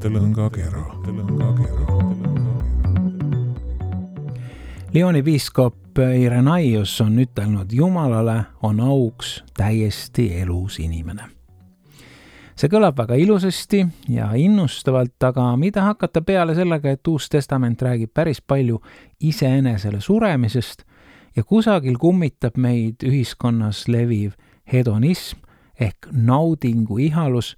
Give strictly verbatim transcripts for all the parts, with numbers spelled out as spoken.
Tõlõngakera. Lyoni piiskop Irenaios on ütelnud, Jumalale on auks täiesti elus inimene. See kõlab väga ilusasti ja innustavalt, aga mida hakata peale sellega, et Uus Testament räägib päris palju iseenesele suremisest ja kusagil kummitab meid ühiskonnas leviv hedonism ehk naudingu ihalus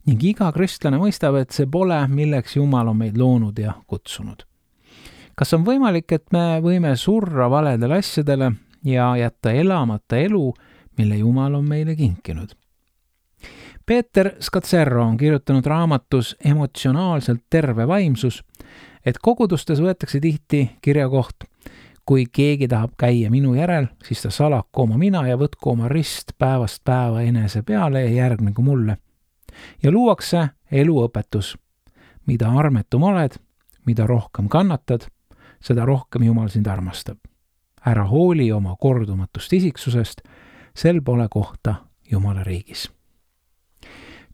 ning iga kristlane mõistab, et see pole, milleks Jumal on meid loonud ja kutsunud. Kas on võimalik, et me võime surra valedele asjadele ja jätta elamata elu, mille Jumal on meile kinkinud? Peeter Scazzero on kirjutanud raamatus Emotsionaalselt terve vaimsus, et kogudustes võetakse tihti kirjakoht, kui keegi tahab käia minu järel, siis ta salaku oma mina ja võtku oma rist päevast päeva enese peale ja järgnegu mulle. Ja luuakse eluõpetus. Mida armetum oled, mida rohkem kannatad, seda rohkem Jumal sind armastab. Ära hooli oma kordumatust isiksusest, sel pole kohta Jumala riigis.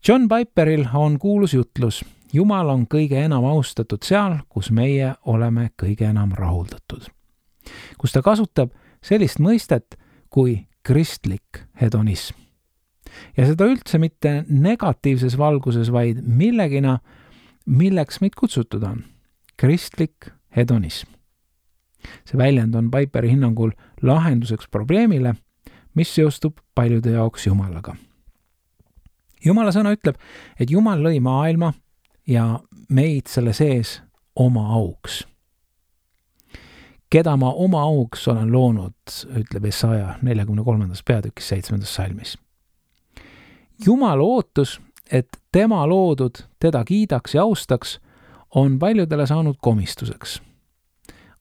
John Piperil on kuulus jutlus, Jumal on kõige enam austatud seal, kus meie oleme kõige enam rahuldatud. Kus ta kasutab sellist mõistet kui kristlik hedonism. Ja seda üldse mitte negatiivses valguses, vaid millegina, milleks meid kutsutud on. Kristlik hedonism. See väljend on Piperi hinnangul lahenduseks probleemile, mis seostub paljude jaoks Jumalaga. Jumala sõna ütleb, et Jumal lõi maailma ja meid selle sees oma auks. Keda ma oma auks olen loonud, ütleb Jesaja neljakümne kolmandas peatükis seitsmendas salmis. Jumala ootus, et tema loodud teda kiidaks ja austaks, on paljudele saanud komistuseks.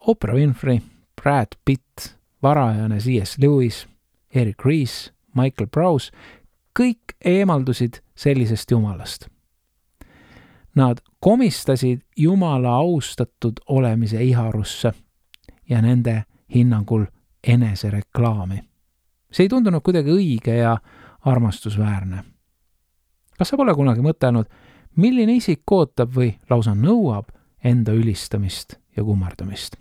Oprah Winfrey, Brad Pitt, varajane C S Lewis, Eric Ries, Michael Prowse, kõik eemaldusid sellisest Jumalast. Nad komistasid Jumala austatud olemise iharusse ja nende hinnangul enesereklaami. See ei tundunud kuidagi õige ja armastusväärne. Kas sa pole kunagi mõtelnud, milline isik ootab või lausa nõuab enda ülistamist ja kummardamist?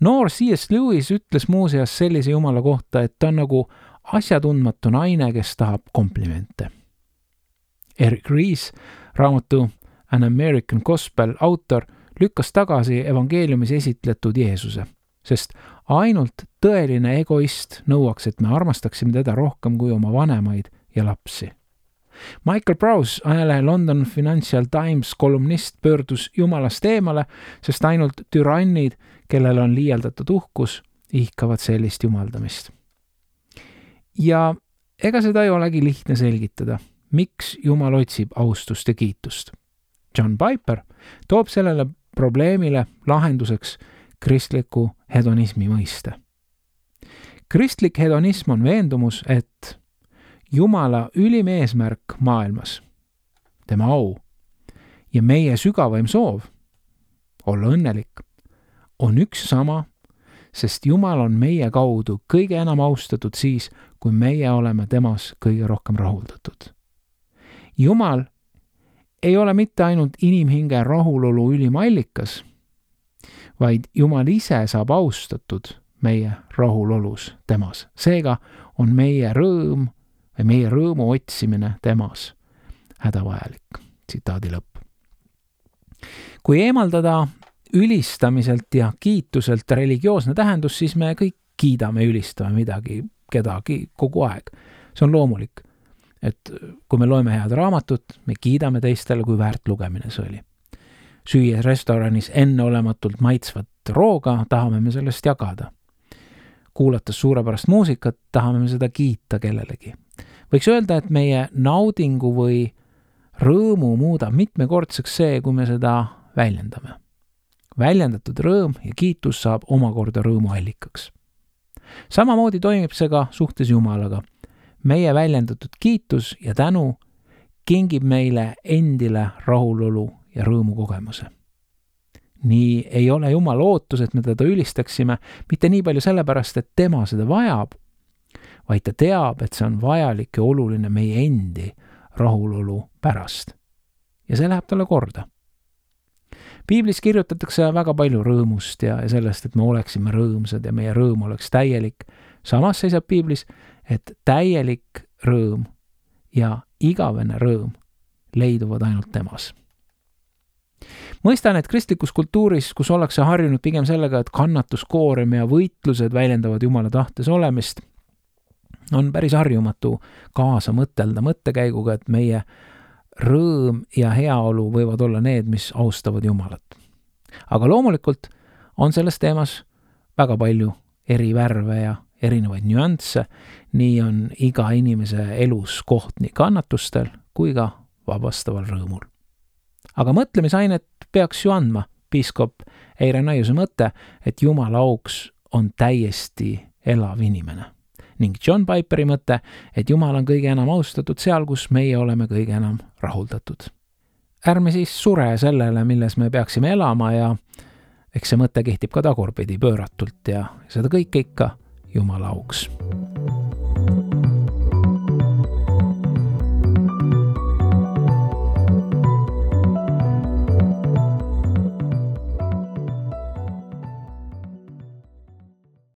Noor C S Lewis ütles muuseas sellise Jumala kohta, et ta on nagu asjatundmatu naine, kes tahab komplimente. Eric Ries, raamatu An American Gospel autor, lükkas tagasi evangeeliumis esitletud Jeesuse, sest ainult tõeline egoist nõuaks, et me armastaksime teda rohkem kui oma vanemaid ja lapsi. Michael Prowse, ajalehe London Financial Times kolumnist, pöördus Jumalast eemale, sest ainult türannid, kellel on liialdatud uhkus, ihkavad sellist jumaldamist. Ja ega seda ei olegi lihtne selgitada, miks Jumal otsib austust ja kiitust. John Piper toob sellele probleemile lahenduseks kristliku hedonismi mõiste. Kristlik hedonism on veendumus, et Jumala ülim eesmärk maailmas, tema au ja meie sügavaim soov olla õnnelik on üks sama, sest Jumal on meie kaudu kõige enam austatud siis, kui meie oleme temas kõige rohkem rahuldatud. Jumal ei ole mitte ainult inimhinge rahulolu ülim allikas, vaid Jumal ise saab austatud meie rahulolus temas. Seega on meie rõõm või meie rõõmu otsimine temas hädavajalik. Tsitaadi lõpp. Kui eemaldada ülistamiselt ja kiituselt religioosne tähendus, siis me kõik kiidame, ülistame midagi, kedagi kogu aeg. See on loomulik, et kui me loeme head raamatut, me kiidame teistele, kui väärt lugemine see oli. Süües restoranis enneolematult maitsvat rooga, tahame me sellest jagada. Kuulates suurepärast muusikat, tahame me seda kiita kellelegi. Võiks öelda, et meie naudingu või rõõmu muudab mitmekordseks see, kui me seda väljendame. Väljendatud rõõm ja kiitus saab omakorda rõõmu allikaks. Samamoodi toimib see ka suhtes Jumalaga. Meie väljendatud kiitus ja tänu kingib meile endile rahulolu ja rõõmu kogemuse. Nii ei ole Jumal ootus, et me teda ülistaksime mitte nii palju sellepärast, et tema seda vajab, vaid ta teab, et see on vajalik ja oluline meie endi rahulolu pärast. ja see läheb talle korda. Piiblis kirjutatakse väga palju rõõmust ja, ja sellest, et me oleksime rõõmsad ja meie rõõm oleks täielik. Samas seisab Piiblis, et täielik rõõm ja igavene rõõm leiduvad ainult temas. Mõistan, et kristlikus kultuuris, kus ollakse harjunud pigem sellega, et kannatuskoorem ja võitlused väljendavad Jumala tahtes olemist, on päris harjumatu kaasa mõtelda mõttekäiguga, et meie rõõm ja heaolu võivad olla need, mis austavad Jumalat. Aga loomulikult on selles teemas väga palju eri värve ja erinevaid nüansse, nii on iga inimese elus koht nii kannatustel kui ka vabastaval rõõmul. Aga mõtlemisainet peaks ju andma piiskop Eire Naiuse mõte, et Jumala auks on täiesti elav inimene. Ning John Piperi mõte, et Jumal on kõige enam austatud seal, kus meie oleme kõige enam rahuldatud. Ärme siis sure sellele, milles me peaksime elama ja eks see mõte kehtib ka tagurpidi pööratult ja seda kõike ikka Jumala auks.